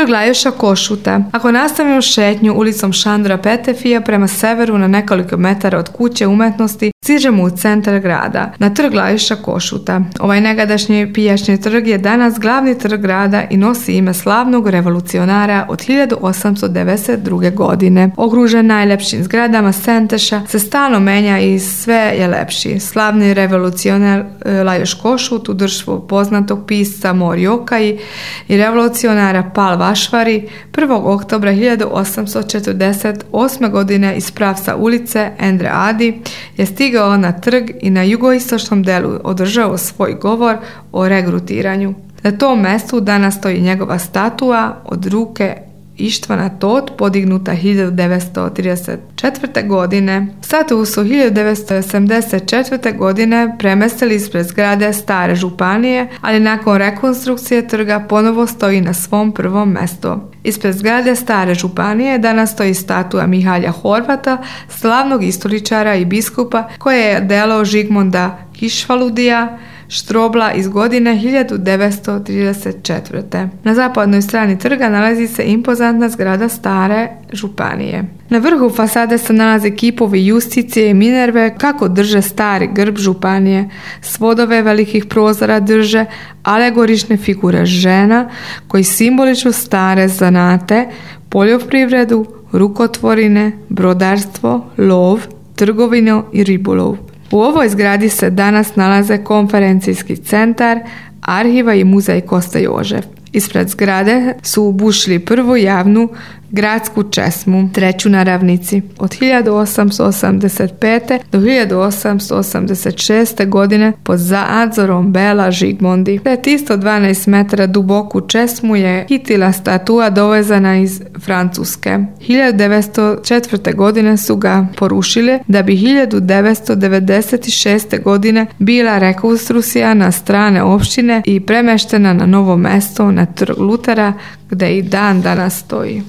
Trg Lajoša Košuta. Ako nastavimo šetnju ulicom Šandora Petefija prema severu na nekoliko metara od kuće umetnosti, stižemo u centar grada, na Trg Lajoša Košuta. Ovaj negadašnji pijačni trg je danas glavni trg grada i nosi ime slavnog revolucionara od 1892. godine. Okružen najlepšim zgradama Senteša, se stalno menja i sve je lepši. Slavni revolucionar Lajoš Košut u društvu poznatog pisca Mori Okaji i revolucionara Pal Vašvari 1. oktobra 1848. godine iz pravca ulice Endre Adi je stigao na trg i na jugoistočnom delu održao svoj govor o regrutiranju. Na tom mjestu danas stoji njegova statua od ruke Ištvana Tot, podignuta 1934. godine. Statu su 1974. godine premestili ispred zgrade stare županije, ali nakon rekonstrukcije trga ponovo stoji na svom prvom mjestu. Ispred zgrade stare županije danas stoji statua Mihalja Horvata, slavnog istoričara i biskupa koje je delo Žigmonda Kišvaludija Štrobla iz godine 1934. Na zapadnoj strani trga nalazi se impozantna zgrada stare županije. Na vrhu fasade se nalaze kipovi Justicije i Minerve kako drže stari grb županije. Svodove velikih prozora drže alegorične figure žena koji simboliču stare zanate, poljoprivredu, rukotvorine, brodarstvo, lov, trgovinu i ribolov. U ovoj zgradi se danas nalaze konferencijski centar, arhiva i muzej Kosta Jožef. Ispred zgrade su ubušili prvu javnu gradsku česmu, treću na ravnici. Od 1885. do 1886. godine pod nadzorom Bela Žigmondi. Pred 112 metara duboku česmu je hitila statua dovezana iz Francuske. 1904. godine su ga porušile da bi 1996. godine bila rekonstrukcija na strane opštine i premeštena na novo mesto na Trg Lutera gdje i dan danas stoji.